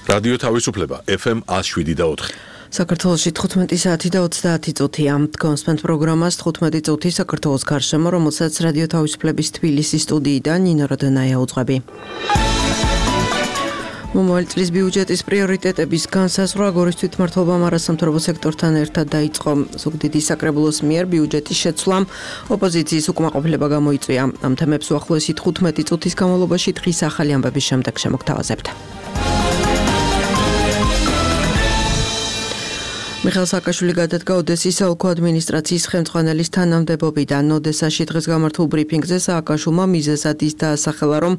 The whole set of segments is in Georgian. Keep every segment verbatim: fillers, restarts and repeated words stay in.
რადიო თავისუფლება ეფ ემ ათს შვიდი და ოთხი. საქართველოში თხუთმეტი საათი და ოცდაათი წუთია. დგომსმენთ პროგრამას თხუთმეტი წუთი საქართველოს გარშემო, რომელსაც რადიო თავისუფლების თბილისის სტუდიიდან ნინო როდონაია უძღვები. მომავალი წლის ბიუჯეტის პრიორიტეტების განსაზღვრა გორის თვითმმართველობამ არასამთავრობო სექტორთან ერთად დაიწყო. ზუგდიდის საკრებულოს მიერ ბიუჯეტის შეცვლამ ოპოზიციის უკმაყოფილება გამოიწვია. ამ თემებს უახლოესი თხუთმეტი წუთის განმავლობაში დღის ახალი ამბების შემდეგ შემოგთავაზებთ. მიხეილ სააკაშვილი გადადგა ოდესის საოლქო ადმინისტრაციის ხელმძღვანელის თანამდებობიდან. ოდესაში დღეს გამართულ ბრიფინგზე სააკაშვილმა მიზეზად ის დაასახელა, რომ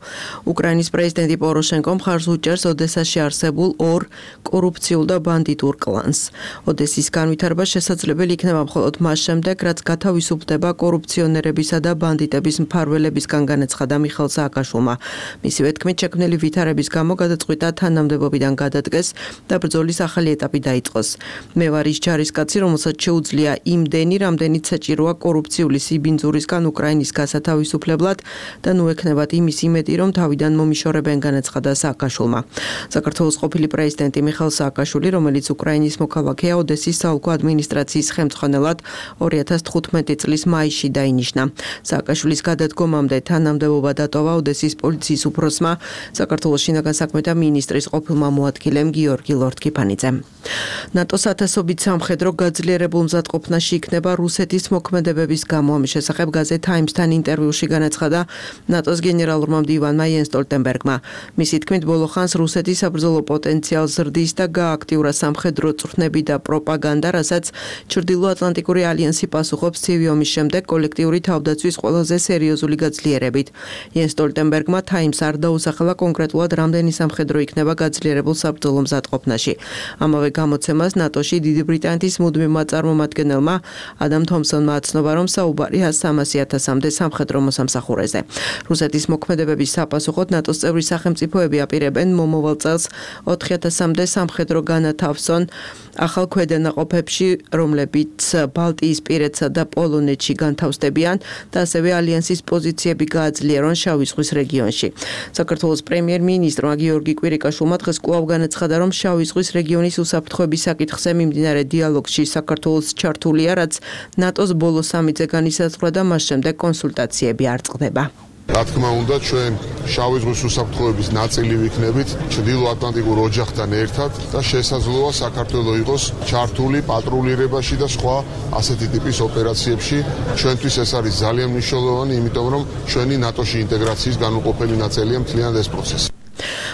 უკრაინის პრეზიდენტი პოროშენკო მხარს უჭერს ოდესაში არსებულ ორ კორუფციულ და ბანდიტურ კლანს. ოდესის განვითარება შესაძლებელი იქნება მხოლოდ მას შემდეგ, რაც გათავისუფლდება კორუფციონერებისა და ბანდიტების მფარველებისგან, განაცხადა მიხეილ სააკაშვილმა. მისივე თქმით, შექმნილი ვითარების გამო გადაწყვიტა თანამდებობიდან გადადგეს და ბრძოლის ახალი ეტაპი დაიწყოს. მე არის ჯარისკაცი, რომელსაც შეუძლია იმდენი, რამდენიც საჭიროა კორუფციული სიბინძურისგან უკრაინის გასათავისუფლებლად და ნუ ექნებათ იმის იმედი, რომ თავიდან მომიშორებენ, განაცხადა სააკაშვილმა. საქართველოს ყოფილი პრეზიდენტი მიხეილ სააკაშვილი, რომელიც უკრაინის მოქალაქეა, ოდესის საოლქო ადმინისტრაციის ხელმძღვანელად ორი ათას თხუთმეტი წლის მაისში დაინიშნა. სააკაშვილის გადადგომამდე თანამდებობა დატოვა ოდესის პოლიციის უფროსმა, საქართველოს შინაგან საქმეთა მინისტრის ყოფილმა მოადგილემ გიორგი ლორთქიფანიძემ. ნატოს ათასობით სამხედრო გაძლიერებულ მზადყოფნაში იქნება რუსეთის მოქმედებების გამო. ამის შესახებ გაზეთ Times-თან ინტერვიუში განაცხადა ნატოს გენერალურმა მდივანმა იენს სტოლტენბერგმა. მისი თქმით, ბოლო ხანს რუსეთის საბრძოლო პოტენციალს ზრდის და გააქტიურა სამხედრო წვრთნები და პროპაგანდა, რასაც ჩრდილოატლანტიკური ალიანსი პასუხობს ცივი ომის შემდეგ კოლექტიური თავდაცვის ყველაზე სერიოზული გაძლიერებით. იენს სტოლტენბერგმა Times არ დაუსახელა კონკრეტულად რამდენი სამხედრო იქნება გაძლიერებულ საბრძოლო მზადყოფნაში. ამავე გამოცემას ნატოში დიდი ბრიტანეთის მუდმივმა წარმომადგენელმა ადამ თომსონმა აცნობა, რომ საუბარია სამასი ათასამდე სამხედრო მოსამსახურეზე. რუსეთის მოქმედებების საპასუხოდ ნატოს წევრი სახელმწიფოები აპირებენ მომავალ წელს ოთხი ათასამდე სამხედრო განათავსონ ახალ ქვედანაყოფებში, რომლებიც ბალტიისპირეთსა და პოლონეთში განთავსდებიან და ასევე ალიანსის პოზიციები გააძლიერონ შავი ზღვის რეგიონში. საქართველოს პრემიერ-მინისტრმა გიორგი კვირიკაშვილმა დღეს კვლავ განაცხადა, რომ შავი ზღვის რეგიონის უსაფრთხოების საკითხზე მიმდინარე დიალოგში საქართველოს ჩართულია, რაც ნატოს ბოლო სამიტზე განისაზღვრა და მას შემდეგ კონსულტაციები არ წყდება. რა თქმა უნდა, ჩვენ შავი ზღვის უსაფრთხოების ნაწილი ვიქნებით ჩრდილოატლანტიკურ ოჯახთან ერთად და შესაძლოა საქართველო იყოს ჩართული პატრულირებაში და სხვა ასეთი ტიპის ოპერაციებში. ჩვენთვის ეს არის ძალიან მნიშვნელოვანი, იმიტომ რომ ჩვენი ნატოში ინტეგრაციის განუყოფელი ნაწილია მთლიანად ეს პროცესი.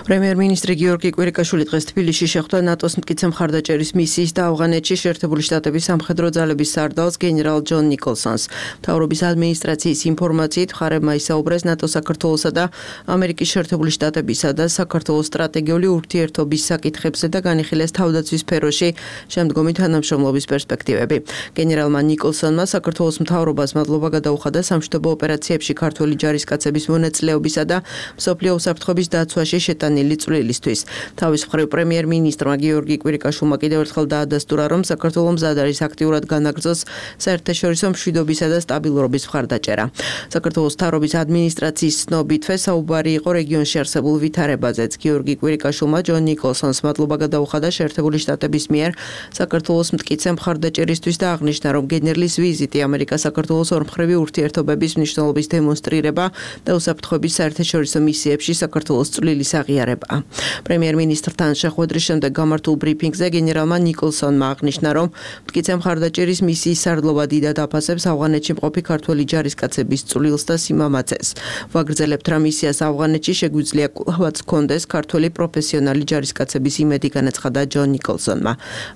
პრემიერ-მინისტრი გიორგი კვირიკაშვილი დღეს თბილისში შეხვდა ნატოს მტკიცე მხარდაჭერის მისიის და ავღანეთში შეერთებული შტატების სამხედრო ძალების სარდალს გენერალ ჯონ ნიკოლსონს. მთავრობის ადმინისტრაციის ინფორმაციით მხარებმა ისაუბრეს ნატოს საქართველოსა და ამერიკის შეერთებული შტატებისა და საქართველოს სტრატეგიული ურთიერთობის საკითხებზე და განიხილეს თავდაცვის სფეროში შემდგომი თანამშრომლობის პერსპექტივები. გენერალმა ნიკოლსონმა საქართველოს მთავრობას მადლობა გადაუხადა სამშვიდობო ოპერაციებში ქართველი ჯარისკაცების მონაწილეობისა და მსოფლიო უსაფრთხოების დაცვაში შეტანილი წვლილისთვის. თავის მხრივ პრემიერ-მინისტრმა გიორგი კვირიკაშვილმა კიდევ ერთხელ დაადასტურა, რომ საქართველოს მზად არის აქტიურად განაგრძოს საერთაშორისო მშვიდობისა და სტაბილურობის მხარდაჭერა. საქართველოს მთავრობის ადმინისტრაციის ცნობითვე საუბარი იყო რეგიონში არსებულ ვითარებაზეც. გიორგი კვირიკაშვილმა ჯონ ნიკოლსონს მადლობა გადაუხადა შეერთებული შტატების მიერ საქართველოს მტკიცე მხარდაჭერისთვის და აღნიშნა, რომ გენერლის ვიზიტი ამერიკა-საქართველოს ორმხრივი ურთიერთობების მნიშვნელობის დემონსტრირება და უსაფრთხოების საერთაშორისო მისიებში საქართველოს წვლილი აღიარება. პრემიერ-მინისტრთან შეხვედრის შემდეგ გამართულ ბრიფინგზე გენერალმა ნიკოლსონმა აღნიშნა, რომ მტკიცე მხარდაჭერის მისიის სარდლობა დიდად აფასებს ავღანეთში მყოფი ქართველი ჯარისკაცების წვლილს და სიმამაცეს. ვაგრძელებთ, რომ მისიას ავღანეთში შეგვიძლია კვლავაც ჰქონდეს ქართველი პროფესიონალი ჯარისკაცების იმედი, განაცხადა ჯონ ნიკოლსონმა.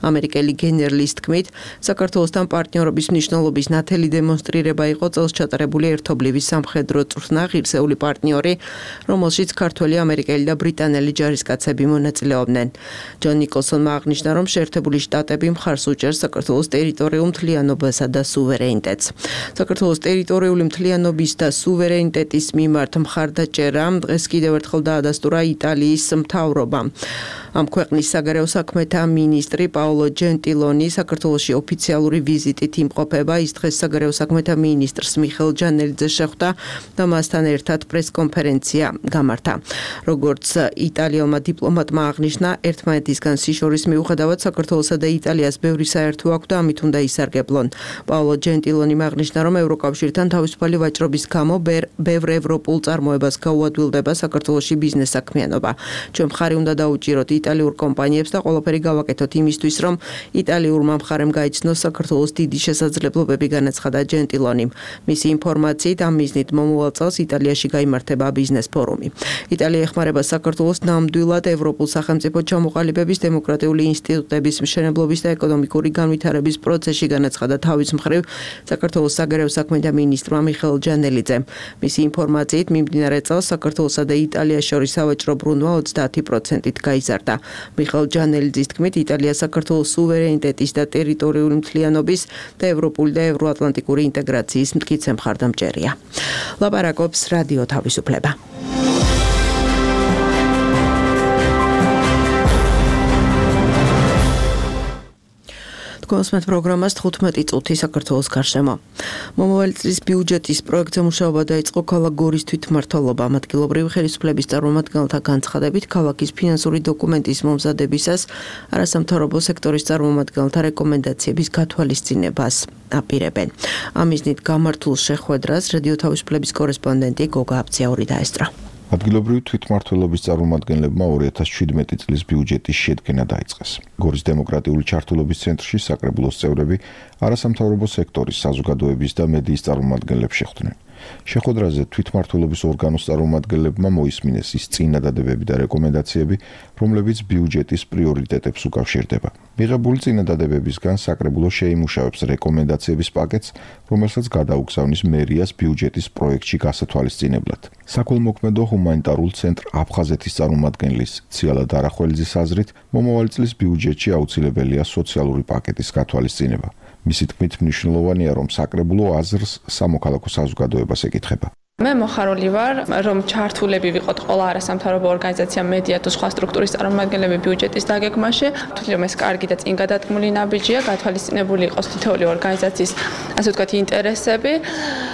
ამერიკელი გენერლის თქმით, საქართველოსთან პარტნიორობის მნიშვნელობის ნათელი დემონსტრირება იყო წელს ჩატარებული ერთობლივი სამხედრო წვრთნა ღირსეული პარტნიორი, რომელშიც ქართველი ამერიკელი და ბრიტანელი ჯარისკაცები მონაწილეობდნენ. ჯონ ნიკოლსონმა აღნიშნა, რომ შეერთებული შტატები მხარს უჭერს საქართველოს ტერიტორიულ მთლიანობასა და სუვერენიტეტს. საქართველოს ტერიტორიული მთლიანობის და სუვერენიტეტის მიმართ მხარდაჭერა დღეს კიდევ ერთხელ დაადასტურა იტალიის მთავრობამ. ამ ქვეყნის საგარეო საქმეთა მინისტრი პაოლო ჯენტილონი საქართველოში ოფიციალური ვიზიტით იმყოფება. ის დღეს საგარეო საქმეთა მინისტრს მიხეილ ჯანელიძეს შეხვდა და მასთან ერთად პრესკონფერენცია გამართა. როგორც იტალიელმა დიპლომატმა აღნიშნა, ერთმანეთისგან სიშორის მიუხედავად საქართველოსა და იტალიას ბევრი საერთო აქვს და ამით უნდა ისარგებლონ. პაოლო ჯენტილონიმ აღნიშნა, რომ ევროკავშირთან თავისუფალი ვაჭრობის გამო ბევრ ევროპულ წარმოებას გაუადვილდება საქართველოში ბიზნეს საქმიანობა. ჩვენ მხარი უნდა დაუჭიროთ იტალიურ კომპანიებს და ყველაფერი გავაკეთოთ იმისთვის, რომ იტალიურმა მხარემ გაიცნოს საქართველოს დიდი შესაძლებლობები, განაცხადა ჯენტილონიმ. მისი ინფორმაციით ამ მიზნით მომავალ წელს იტალიაში გაიმართება ბიზნეს ფორუმი. იტალია ეხმარება საქართველოს ნამდვილად ევროპულ სახელმწიფო ჩამოყალიბების, დემოკრატიული ინსტიტუტების მშენებლობის და ეკონომიკური განვითარების პროცესში, განაცხადა თავის მხრივ საქართველოს საგარეო საქმეთა მინისტრმა მიხეილ ჯანელიძემ. მისი ინფორმაციით მიმდინარე წელს საქართველოსა და იტალიას შორის სავაჭრო ბრუნვა ოცდაათი პროცენტით გაიზარდა. მიხეილ ჯანელიძის თქმით, იტალია საქართველოს სუვერენიტეტის და ტერიტორიული მთლიანობის და ევროპული და ევროატლანტიკური ინტეგრაციის მტკიცე მხარდამჭერია. ლაპარაკობს რადიო თავისუფლება. კონსმეთ პროგრამას თხუთმეტი წუთი საქართველოს გარშემო. მომავალი წლის ბიუჯეტის პროექტზე მუშაობა დაიწყო ქალაქ გორის თვითმმართველობამ. ადგილობრივი ხელისუფლების წარმომადგენელთა განცხადებით, ქალაქის ფინანსური დოკუმენტის მომზადებისას არასამთავრობო სექტორის წარმომადგენელთა რეკომენდაციების გათვალისწინებას აპირებენ. ამ მიზნით გამართულ შეხვედრას რადიო თავისუფლების კორესპონდენტი გოგა აბციაური დაესწრო. ადგილობრივი თვითმმართველობის წარმომადგენლებმა ორი ათას შვიდმეტი წლის ბიუჯეტის შედგენა დაიწყეს. გორის დემოკრატიული ჩართულობის ცენტრში საკრებულოს წევრები არასამთავრობო სექტორის, საზოგადოების და მედიის წარმომადგენლებს შეხვდნენ. შეხვედრაზე თვითმმართველობის ორგანოს წარმომადგენლებმა მოისმინეს ის წინადადებები და რეკომენდაციები, რომლებიც ბიუჯეტის პრიორიტეტებს უკავშირდება. მიღებული წინადადებებისგან საკრებულო შეიმუშავებს რეკომენდაციების პაკეტს, რომელსაც გადაუგზავნის მერიას ბიუჯეტის პროექტში გასათვალისწინებლად. საქველმოქმედო ჰუმანიტარულ ცენტრ აფხაზეთის წარმომადგენლის ციალა დარახველიძის აზრით, მომავალი წლის ბიუჯეტში აუცილებელია სოციალური პაკეტის გათვალისწინება. მისი თქმით, მნიშვნელოვანია, რომ საკრებულო აზრს სამოქალაქო საზოგადოებას ეკითხება. მე მოხარული ვარ, რომ ჩართულები ვიყოთ ყველა არასამთავრობო ორგანიზაცია, მედია თუ სხვა სტრუქტურის წარმომადგენლები ბიუჯეტის დაგეგმაში. თვითონ რომ ეს კარგი და წინ გადადგმული ნაბიჯია, გათვალისწინებული იყოს თითოეული ორგანიზაციის, ასე ვთქვათ, ინტერესები.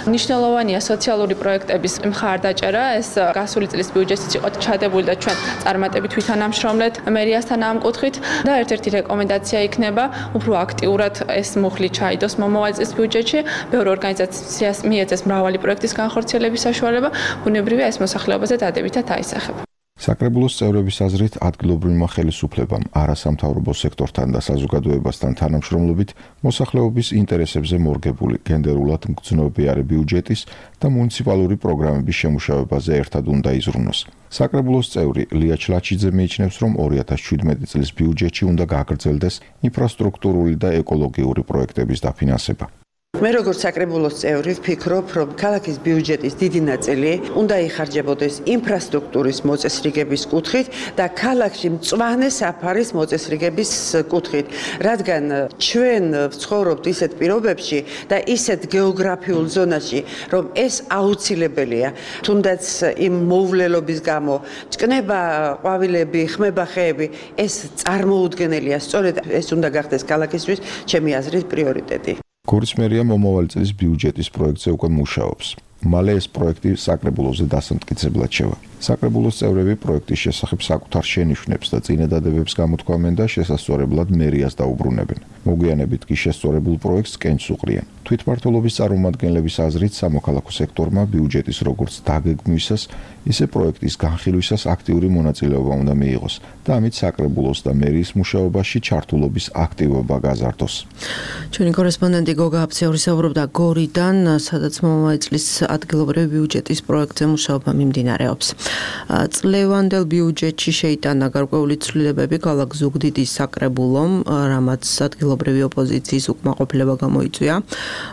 მნიშვნელოვანია სოციალური პროექტების მხარდაჭერა. ეს გასული წლის ბიუჯეტიც იყო ჩადებული და ჩვენ წარმატებით ვითანამშრომლეთ მერიასთან ამ კუთხით და ერთ-ერთი რეკომენდაცია იქნება უფრო აქტიურად ეს მუხლი ჩაიდოს მომავალ წლის ბიუჯეტში. ბევრი ორგანიზაციას მიეცეს მრავალი პროექტის განხორციელება საშუალება, ბუნებრივია ეს მოსახლეობაზე დადებითად აისახება. საკრებულოს წევრების აზრით, ადგილობრივმა ხელისუფლებამ არასამთავრობო სექტორთან და საზოგადოებასთან თანამშრომლობით მოსახლეობის ინტერესებზე მორგებული გენდერულად მგრძნობიარე ბიუჯეტის და მუნიციპალური პროგრამების შემუშავებაზე ერთად უნდა იზრუნოს. საკრებულოს წევრი ლია ჩლაჩიძე მიიჩნევს, რომ ორი ათას შვიდმეტი წლის ბიუჯეტში უნდა გაგრძელდეს ინფრასტრუქტურული და ეკოლოგიური პროექტების დაფინანსება. მე როგორც საკრებულოს წევრი ვფიქრობ, რომ ქალაქის ბიუჯეტის დიდი ნაწილი უნდა იხარჯებოდეს ინფრასტრუქტურის მოწესრიგების კუთხით და ქალაქში მწვანე საფარის მოწესრიგების კუთხით, რადგან ჩვენ ვცხოვრობთ ისეთ პირობებში და ისეთ გეოგრაფიულ ზონაში, რომ ეს აუცილებელია. თუნდაც იმ მოვლელობის გამო, ჭკნება ყვავილები, ხმება ხეები, ეს წარმოუდგენელია. სწორედ ეს უნდა გახდეს ქალაქისთვის ჩემი აზრით პრიორიტეტი. გორის მერია მომავალი წლის ბიუჯეტის პროექტზე უკვე მუშაობს. მალე ეს პროექტი საკრებულოზე დასამტკიცებლად შევა. საკრებულოს წევრები პროექტის შესახებ საკუთარ შენიშვნებს და წინადადებებს გამოთქვამენ და შესასწორებლად მერიას დაუბრუნებენ. მოგვიანებით კი შესწორებულ პროექტს კენჭს უყრიან. თვითმმართველობის წარმომადგენლების აზრით, სამოქალაქო სექტორმა ბიუჯეტის როგორც დაგეგმვისას, ისე პროექტის განხილვისას აქტიური მონაწილეობა უნდა მიიღოს და ამით საკრებულოს და მერიის მუშაობაში ჩართულობის აქტივობა გაზარდოს. ჩვენი კორესპონდენტი გოგა აბციური საუბრობდა გორიდან, სადაც მომავალი წლის ადგილობრივი ბიუჯეტის პროექტზე მუშაობა მიმდინარეობს. წლევანდელ ბიუჯეტში შეიტანა გარკვეული ცვლილებები ქალაქ ზუგდიდის საკრებულომ, რამაც ადგილობრივი ოპოზიციის უკმაყოფილება გამოიწვია.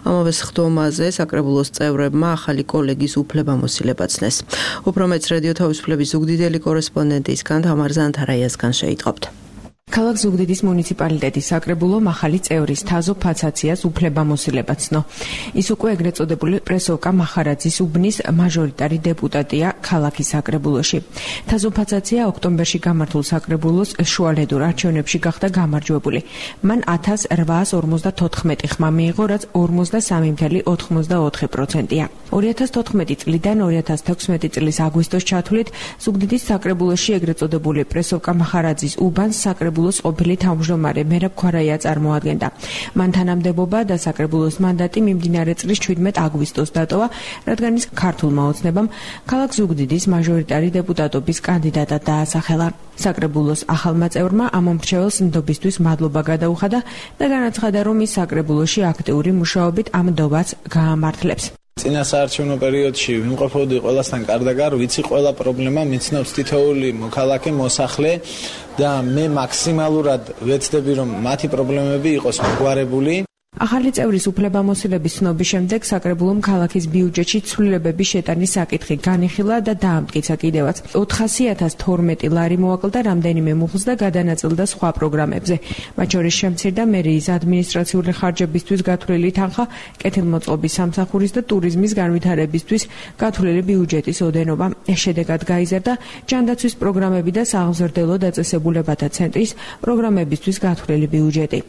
ამავე სხდომაზე საკრებულოს წევრებმა ახალი კოლეგის უფლებამოსილება ცნეს. უფრო მეც რადიო თავისუფლების ზუგდიდელი კორესპონდენტისგან თამარ ზანთარაიასგან შეიტყობთ. ქალაქ ზუგდიდის მუნიციპალიტეტის საკრებულომ ახალი წევრის თაზო ფაცაციას უფლებამოსილება ცნო. ის უკვე ეგრეთ წოდებული პრესოვკა მახარაძის უბნის მაჟორიტარი დეპუტატია ქალაქის საკრებულოში. თაზო ფაცაცია ოქტომბერში გამართულ საკრებულოს შუალედურ არჩევნებში გახდა გამარჯვებული. მან ათას რვაას ორმოცდათოთხმეტი ხმა მიიღო, რაც ორმოცდასამი კoma ოთხმოცდაოთხი პროცენტია. ორი ათას თოთხმეტი წლიდან ორი ათას თექვსმეტი წლის აგვისტოს ჩათვლით ზუგდიდის საკრებულოში ეგრეთ წოდებული პრესოვკა მახარაძის უბანს საკრებულოს ყოფილი თავმჯდომარე მერაბ ქვარაია წარმოადგენდა. მან თანამდებობა და საკრებულოს მანდატი მიმდინარე წლის შვიდმეტ აგვისტოს დატოვა, რადგან ის ქართულმა ოცნებამ ქალაქ ზუგდიდის მაჟორიტარი დეპუტატობის კანდიდატად დაასახელა. საკრებულოს ახალმა წევრმა ამ მომრჩეველს ნდობისთვის მადლობა გადაუხადა და განაცხადა, რომ ის საკრებულოში აქტიური მუშაობით ამ ნდობას გაამართლებს. წინა საარჩევნო პერიოდში ვიმყოფოდი ყველასთან კარდაგარ, ვიცი ყველა პრობლემა მიცნობს თითოეული მოქალაქე, მოსახლე და მე მაქსიმალურად ვეცდები, რომ მათი პრობლემები იყოს მოგვარებული. ახალი წევრის უფლებამოსილების ცნობის შემდეგ საკრებულომ ქალაქის ბიუჯეტში ცვლილებების შეტანის საკითხი განიხილა და დაამტკიცა კიდევაც. ოთხასი ათას თორმეტი ლარი მოაკლდა რამდენიმე მუხლს და გადანაწილდა სხვა პროგრამებზე. მათ შორის შემცირდა მერიის ადმინისტრაციული ხარჯებისთვის გათვლილი თანხა, კეთილმოწყობის სამსახურის და ტურიზმის განვითარებისთვის გათვლილი ბიუჯეტის ოდენობა. შედეგად გაიზარდა ჯანდაცვის პროგრამები და სააღმზრდელო დაწესებულებათა ცენტრის პროგრამებისთვის გათვლილი ბიუჯეტი.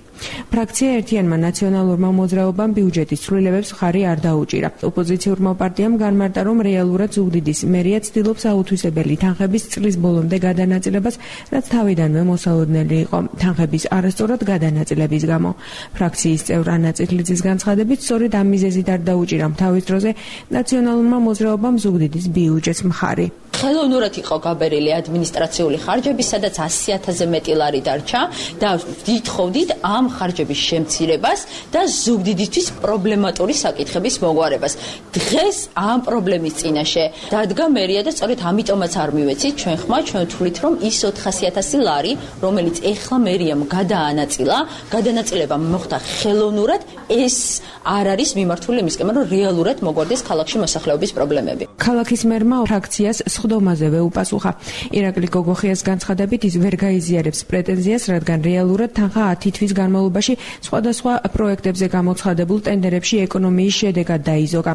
ფრაქცია ერთიანმა ნაციონალურმა მოძრაობამ ბიუჯეტის ცვლილებებს ხარი არ დაუჭირა. ოპოზიციურმა პარტიამ განმარტა, რომ რეალურად ზუგდიდის მერია ცდილობს აუთვისებელი თანხების წლის ბოლომდე გადანაწილებას, რაც თავიდანვე მოსალოდნელი იყო თანხების არასწორად გადანაწილების გამო. ფრაქციის წევრ ანა წითლიძის განცხადებით, სწორედ ამ მიზეზით არ დაუჭირა თავის დროზე ნაციონალურმა მოძრაობამ ზუგდიდის ბიუჯეტს მხარი. ხელოვნურად იყო გაბერილი ადმინისტრაციული ხარჯები, სადაც ასი ათასზე მეტი ლარი დარჩა და ვითხოვდით ამ ხარჯების შემცირებას და ზუგდიდისთვის პრობლემატური საკითხების მოგვარებას. დღეს ამ პრობლემის წინაშე დადგა მერია და სწორედ ამიტომაც არ მივეცით ჩვენ ხმა, ჩვენ ვთვლით, რომ ის ოთხასი ათასი ლარი, რომელიც ეხლა მერიამ გადაანაწილა, გადანაწილება მოხდა ხელოვნურად, ეს არ არის მიმართული იმისკენ, რომ რეალურად მოგვარდეს ქალაქში მოსახლეობის პრობლემები. ქალაქის მერმა ფრაქციას სხდომაზევე უპასუხა. ირაკლი გოგოხიას განცხადებით, ის ვერ გაიზიარებს პრეტენზიას, რადგან რეალურად თანხა ათი თვის განმავლობაში სხვადასხვა პროექტებზე გამოცხადებულ ტენდერებში ეკონომიის შედეგად დაიზოგა.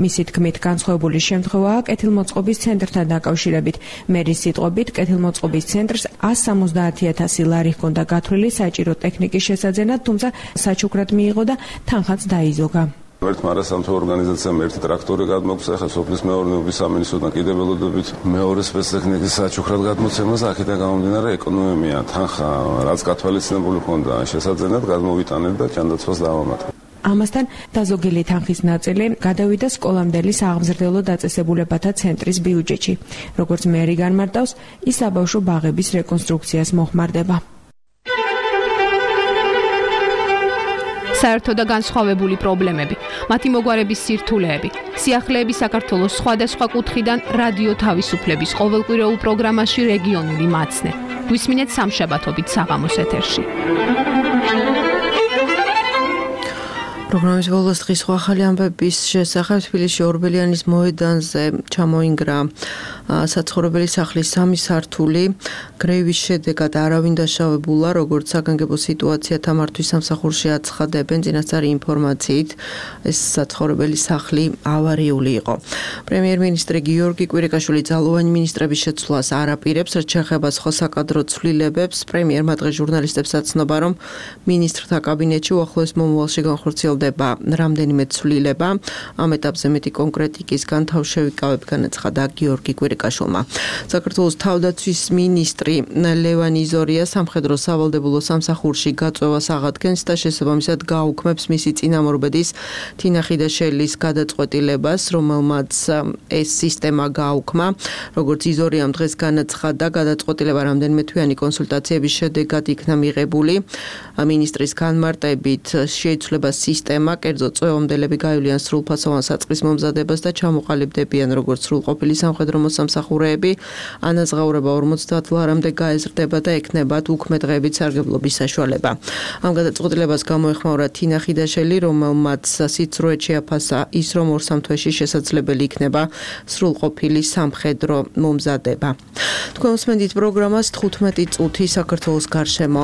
მისი თქმით, განსხვავებული შემთხვევაა კეთილმოწყობის ცენტრთან დაკავშირებით. მერის სიტყვებით, კეთილმოწყობის ცენტრს ასი სამოცდაათი ათასი ლარი ჰქონდა გათვლილი საჭირო ტექნიკის შესაძენად, თუმცა საჩუქრად მიიღო და თანხაც დაიზოგა. ერთმა არასამთავრობო ორგანიზაციამ ერთი ტრაქტორი გადმოგვცა, ახლა სოფლის მეურნეობის სამინისტროდან კიდევ ველოდებით მეორე სპეცტექნიკის საჩუქრად გადმოცემას, აქედან გამომდინარე ეკონომია თანხა, რაც გათვალისწინებული ჰქონდა შესაძენად, გადმოვიტანეთ და ჯანდაცვას დავამატეთ. ამასთან დაზოგილი თანხის ნაწილი გადავიდა სკოლამდელი სააღმზრდელო დაწესებულებათა ცენტრის ბიუჯეტში. როგორც მერი განმარტავს, ის საბავშვო ბაღების რეკონსტრუქციას მოხმარდება. საერთო და განსხვავებული პრობლემები, მათი მოგვარების სირთულეები, სიახლეები საქართველოს სხვადასხვა კუთხიდან რადიო თავისუფლების ყოველკვირეულ პროგრამაში რეგიონული მაცნე. გვისმინეთ სამშაბათობით საღამოს ეთერში. პროგრამის ბოლოს დღის სხვა ახალი ამბების შესახებ თბილისში ორბელიანის მოედანზე ჩამოინგრა საცხოვრებელი სახლის სამი სართული. გრეივის შედეგად არავინ დაშავებულა, როგორც საგანგებო სიტუაცია თამართვის სამსახურში აცხადებენ წინასწარი ინფორმაციით, ეს საცხოვრებელი სახლი ავარიული იყო. პრემიერ-მინისტრი გიორგი კვირიკაშვილი ძალოვანი მინისტრების შეცვლას არ აპირებს, რაც შეეხება სხვა საკადრო ცვლილებებს. პრემიერმა დღეს ჟურნალისტებს აცნობა, რომ მინისტრთა კაბინეტში უახლოეს მომავალში განხორციელდება რამდენიმე ცვლილება. ამ ეტაპზე მეტი კონკრეტიკისგან თავშევიკავებ, განაცხადა გიორგი კვირიკაშვილმა. საქართველოს თავდაცვის მინისტრი ლევან იზორია სამხედრო სავალდებულო სამსახურში გაწვევას აღადგენს და შესაბამისად გააუქმებს მისი წინამორბედის თინა ხიდაშელის გადაწყვეტილებას, რომელმაც ეს სისტემა გააუქმა. როგორც იზორიამ დღეს განაცხადა, გადაწყვეტილება რამდენიმე თვიანი კონსულტაციების შედეგად იქნა მიღებული. მინისტრის განმარტებით შეიცვლება სისტემა, კერძოდ წვევამდელები გაივლიან სრულფასოვან საწყის მომზადებას და ჩამოყალიბდებიან როგორც სრულყოფილი სამხედრო მოსამსახურეები. ანაზღაურება ორმოცდაათ ლარამდე გაეზრდება და ექნებათ უქმე დღეებით სარგებლობის საშუალება. ამ გადაწყვეტილებას გამოეხმაურა თინა ხიდაშელი, რომელმაც სიცრუე შეაფასა ის, რომ ორ სამ თვეში შესაძლებელი იქნება სრულყოფილი სამხედრო მომზადება. თქვენ უსმენთ პროგრამას თხუთმეტი წუთი საქართველოს გარშემო.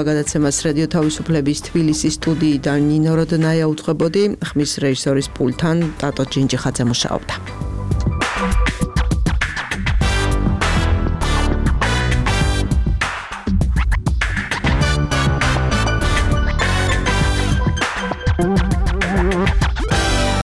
გადაცემას რადიო თავისუფლების თბილისის სტუდიიდან ნინო როდნაია უწყებოდი, ხმის რეჟისორის პულტთან ტატო ჯინჯიხაძე მუშაობდა.